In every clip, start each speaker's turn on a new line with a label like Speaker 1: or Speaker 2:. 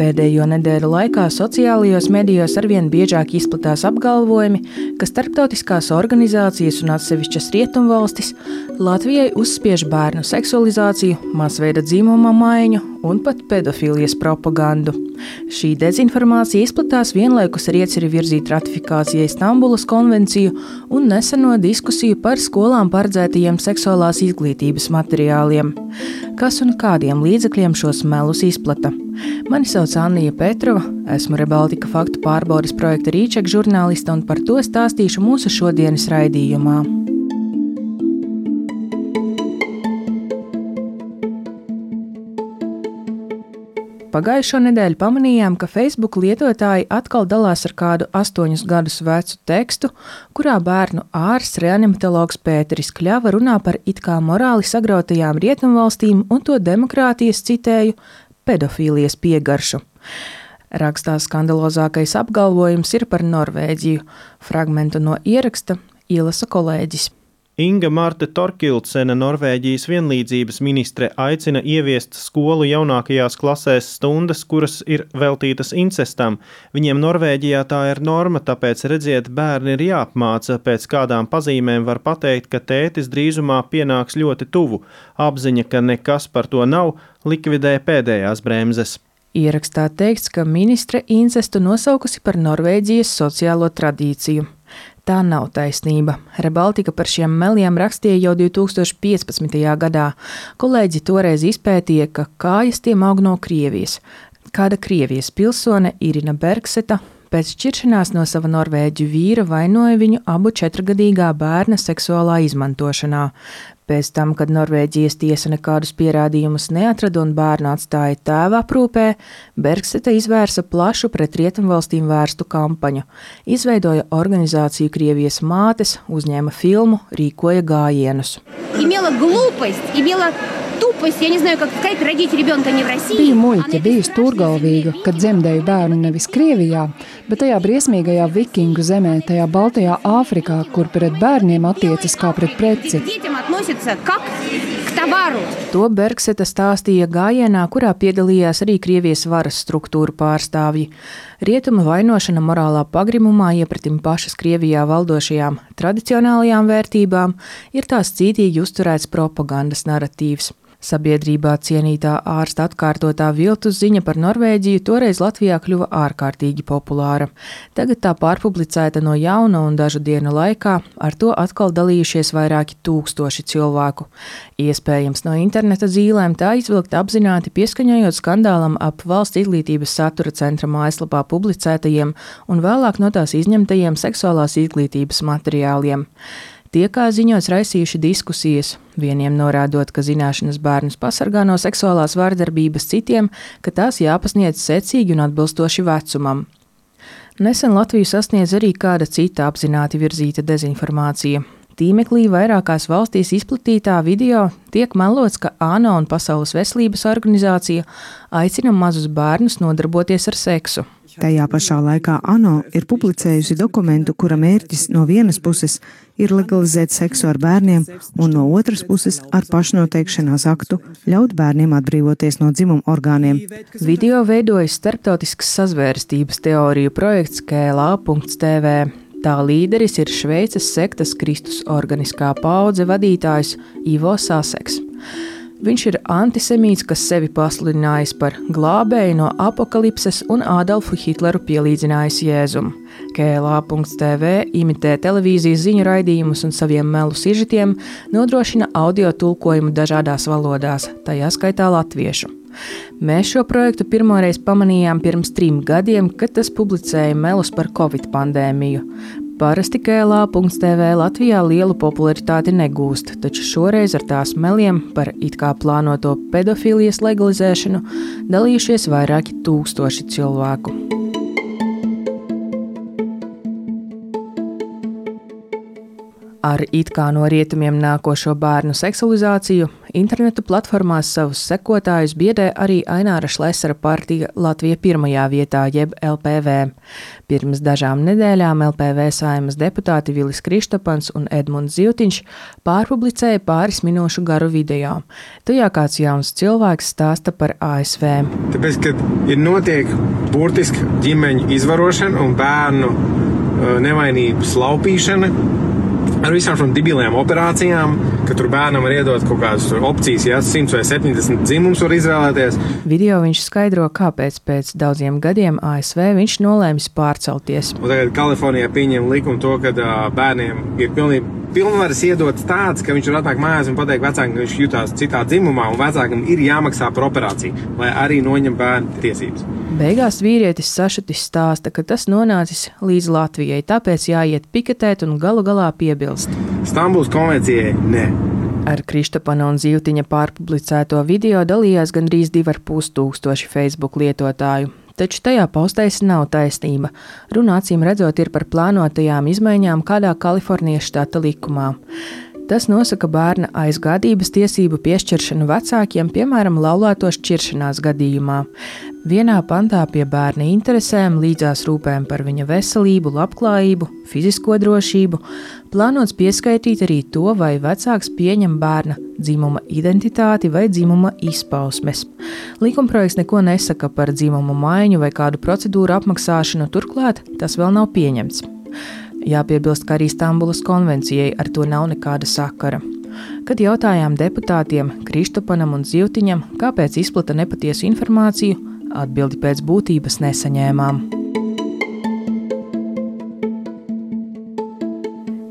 Speaker 1: Pēdējo nedēļu laikā sociālajos medijos arvien biežāk izplatās apgalvojumi, ka starptautiskās organizācijas un atsevišķas rietumvalstis Latvijai uzspiež bērnu seksualizāciju, masveida dzimuma maiņu un pat pedofīlijas propagandu. Šī dezinformācija izplatās vienlaikus ar ieceri virzīt ratifikācijai Stambulas konvenciju un neseno diskusiju par skolām paredzētajiem seksuālās izglītības materiāliem. Kas un kādiem līdzekļiem šos melus izplata? Mani sauc Annija Petrova, esmu Rebaltika faktu pārbaudes projekta Rīčeka žurnāliste un par to stāstīšu mūsu šodienas raidījumā. Pagājušo nedēļu pamanījām, ka Facebook lietotāji atkal dalās ar kādu 8 gadus vecu tekstu, kurā bērnu ārsts reanimatologs Pēteris Kļava runā par it kā morāli sagrautajām rietumvalstīm un to demokrātijas, citēju, pedofīlijas piegaršu. Rakstā skandalozākais apgalvojums ir par Norvēģiju. Fragmentu no ieraksta ielasa kolēģis.
Speaker 2: Inga Marte Torkildsene, Norvēģijas vienlīdzības ministre, aicina ieviest skolu jaunākajās klasēs stundas, kuras ir veltītas incestam. Viņiem Norvēģijā tā ir norma, tāpēc, redziet, bērni ir jāapmāca, pēc kādām pazīmēm var pateikt, ka tētis drīzumā pienāks ļoti tuvu. Apziņa, ka nekas par to nav, likvidē pēdējās bremzes.
Speaker 1: Ierakstā teikts, ka ministre incestu nosaukusi par Norvēģijas sociālo tradīciju. Tā nav taisnība. Rebaltika par šiem meliem rakstīja jau 2015. gadā. Kolēģi toreiz izpētīja, ka kājas tiem aug no Krievijas. Kāda Krievijas pilsone Irina Bergseta pēc šķiršanās no sava norvēģu vīra vainoja viņu abu 4-gadīgā bērna seksuālā izmantošanā. Pēc tam, kad Norvēģijas tiesa nekādus pierādījumus neatrada un bērnu atstāja tēva aprūpē, Bergseta izvērsa plašu pret rietumvalstīm vērstu kampaņu. Izveidoja organizāciju Krievijas mātes, uzņēma filmu, rīkoja gājienus.
Speaker 3: Biju muļķe, biju stūrgalvīga, kad dzemdēju bērnu nevis Krievijā, bet tajā briesmīgajā vikingu zemē, tajā Baltajā Āfrikā, kur pret bērniem attiecas kā pret preci.
Speaker 1: To Bergseta stāstīja gājienā, kurā piedalījās arī Krievijas varas struktūru pārstāvji. Rietuma vainošana morālā pagrimumā iepratim pašas Krievijā valdošajām tradicionālajām vērtībām ir tās cītīgi uzturēts propagandas naratīvs. Sabiedrībā cienītā ārsta atkārtotā viltus ziņa par Norvēģiju toreiz Latvijā kļuva ārkārtīgi populāra. Tagad tā pārpublicēta no jauna un dažu dienu laikā, ar to atkal dalījušies vairāki tūkstoši cilvēku. Iespējams no interneta zīlēm tā izvilkta apzināti pieskaņojot skandālam ap Valsts izglītības satura centra mājaslapā publicētajiem un vēlāk no tās izņemtajiem seksuālās izglītības materiāliem. Tie, kā ziņots, raisījuši diskusijas, vieniem norādot, ka zināšanas bērnus pasargā no seksuālās vardarbības, citiem, ka tās jāpasniedz secīgi un atbilstoši vecumam. Nesen Latviju sasniedz arī kāda cita apzināti virzīta dezinformācija. Tīmeklī vairākās valstīs izplatītā video tiek melots, ka ANO un Pasaules veselības organizācija aicina mazus bērnus nodarboties ar seksu.
Speaker 4: Tajā pašā laikā ANO ir publicējusi dokumentu, kura mērķis no vienas puses ir legalizēt seksu ar bērniem un no otras puses ar pašnoteikšanās aktu ļaut bērniem atbrīvoties no dzimuma orgāniem.
Speaker 1: Video veidojas starptautiskas sazvērstības teoriju projekts KLA.TV. Tā līderis ir Šveices sektas Kristus organiskā paudze vadītājs Ivo Saseks. Viņš ir antisemīts, kas sevi pasludinājis par glābēju no apokalipses un Ādolfu Hitleru pielīdzinājis Jēzum. KLA.TV imitē televīzijas ziņu raidījumus un saviem melu sižetiem nodrošina audio tulkojumu dažādās valodās, tajā skaitā latviešu. Mēs šo projektu pirmoreiz pamanījām pirms 3 gadiem, kad tas publicēja melus par Covid pandēmiju. Parasti KLA.TV Latvijā lielu popularitāti negūst, taču šoreiz ar tās meliem par it kā plānoto pedofīlijas legalizēšanu dalījušies vairāki tūkstoši cilvēku. Ar it kā no rietumiem nākošo bērnu seksualizāciju internetu platformās savus sekotājus biedē arī Aināra Šlesera partija Latvija pirmajā vietā, jeb LPV. Pirms dažām nedēļām LPV Saeimas deputāti Vilis Krištopans un Edmunds Zivtiņš pārpublicēja pāris minūšu garu video. Tajā kāds jauns cilvēks stāsta par ASV.
Speaker 5: Tāpēc, kad ir notiek burtiski ģimeņu izvarošana un bērnu nevainības laupīšana, ar visām šām debilajām operācijām, ka tur bērnam var iedot kaut kādas opcijas, ja 100 vai 70 dzimums var izvēlēties.
Speaker 1: Video viņš skaidro, kāpēc pēc daudziem gadiem ASV viņš nolēmis pārcelties.
Speaker 5: Un tagad Kalifornijā pieņem likumu to, ka bērniem ir pilnvaras iedotas tāds, ka viņš var atnākt mājās un pateikt vecākam, ka viņš jutās citā dzimumā, un vecākam ir jāmaksā par operāciju, lai arī noņem bērnu tiesības.
Speaker 1: Beigās vīrietis sašutis stāsta, ka tas nonācis līdz Latvijai, tāpēc jāiet piketēt un galu galā piebilst.
Speaker 5: Stambulas konvencijai ne.
Speaker 1: Ar Krištopana un Zivtiņa pārpublicēto video dalījās gandrīz 2500 Facebook lietotāju. Taču tajā paustēs nav taisnība. Runa acīm redzot ir par plānotajām izmaiņām kādā Kalifornijas štata likumā. Tas nosaka bērna aizgādības tiesību piešķiršanu vecākiem, piemēram, laulāto šķiršanās gadījumā. Vienā pantā pie bērna interesēm, līdzās rūpēm par viņa veselību, labklājību, fizisko drošību, plānots pieskaitīt arī to, vai vecāks pieņem bērna dzimuma identitāti vai dzimuma izpausmes. Likumprojekts neko nesaka par dzimumu maiņu vai kādu procedūru apmaksāšanu, turklāt tas vēl nav pieņemts. Jāpiebilst, ka arī Stambulas konvencijai ar to nav nekāda sakara. Kad jautājām deputātiem Krištopanam un Zivtiņam, kāpēc izplata nepatiesu informāciju, atbildi pēc būtības nesaņēmām.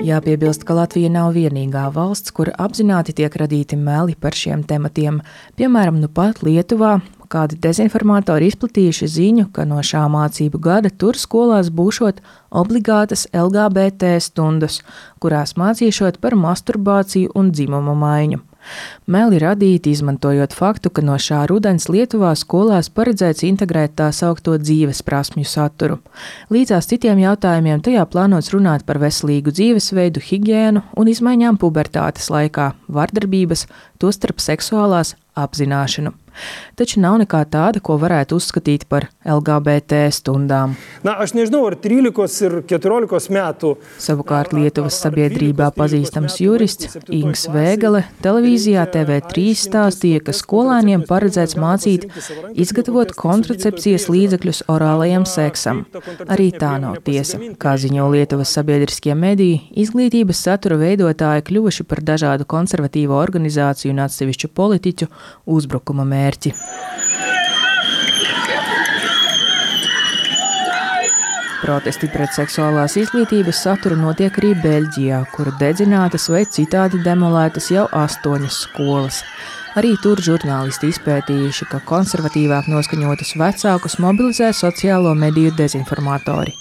Speaker 1: Jāpiebilst, ka Latvija nav vienīgā valsts, kur apzināti tiek radīti meli par šiem tematiem. Piemēram, nu pat Lietuvā kādi dezinformatori izplatījuši ziņu, ka no šā mācību gada tur skolās būšot obligātas LGBT stundas, kurās mācīšot par masturbāciju un dzimumu maiņu. Meli radīti, izmantojot faktu, ka no šā rudens Lietuvā skolās paredzēts integrēt tā saukto dzīves prasmju saturu. Līdzās citiem jautājumiem tajā plānots runāt par veselīgu dzīvesveidu, higiēnu un izmaiņām pubertātes laikā, vardarbības, tostarp seksuālās apzināšanu. Taču nav nekā tāda, ko varētu uzskatīt par LGBT stundām. Savukārt Lietuvas sabiedrībā pazīstams jurists Ings Vēgele televīzijā TV3 stāstīja, ka skolēniem paredzēts mācīt izgatavot kontracepcijas līdzekļus orālajam seksam. Arī tā nav tiesa. Kā ziņo Lietuvas sabiedriskie mediji, izglītības satura veidotāji kļuvuši par dažādu konservatīvo organizāciju un atsevišķu politiķu uzbrukuma mērķi. Protesti pret seksuālās izglītības saturu notiek arī Beļģijā, kur dedzinātas vai citādi demolētas jau 8 skolas. Arī tur žurnālisti izpētījuši, ka konservatīvāk noskaņotus vecākus mobilizē sociālo mediju dezinformatori.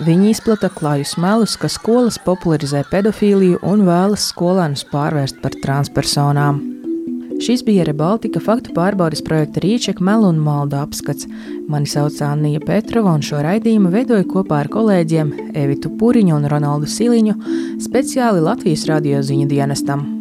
Speaker 1: Viņi izplata klajus melus, ka skolas popularizē pedofīliju un vēlas skolēnus pārvērst par transpersonām. Šis bija Rebaltika faktu pārbaudes projekta Rīčeka melu un maldu apskats. Mani sauc Annija Petrova un šo raidījumu veidoju kopā ar kolēģiem Evitu Puriņu un Ronaldu Siliņu, speciāli Latvijas radio ziņu dienestam.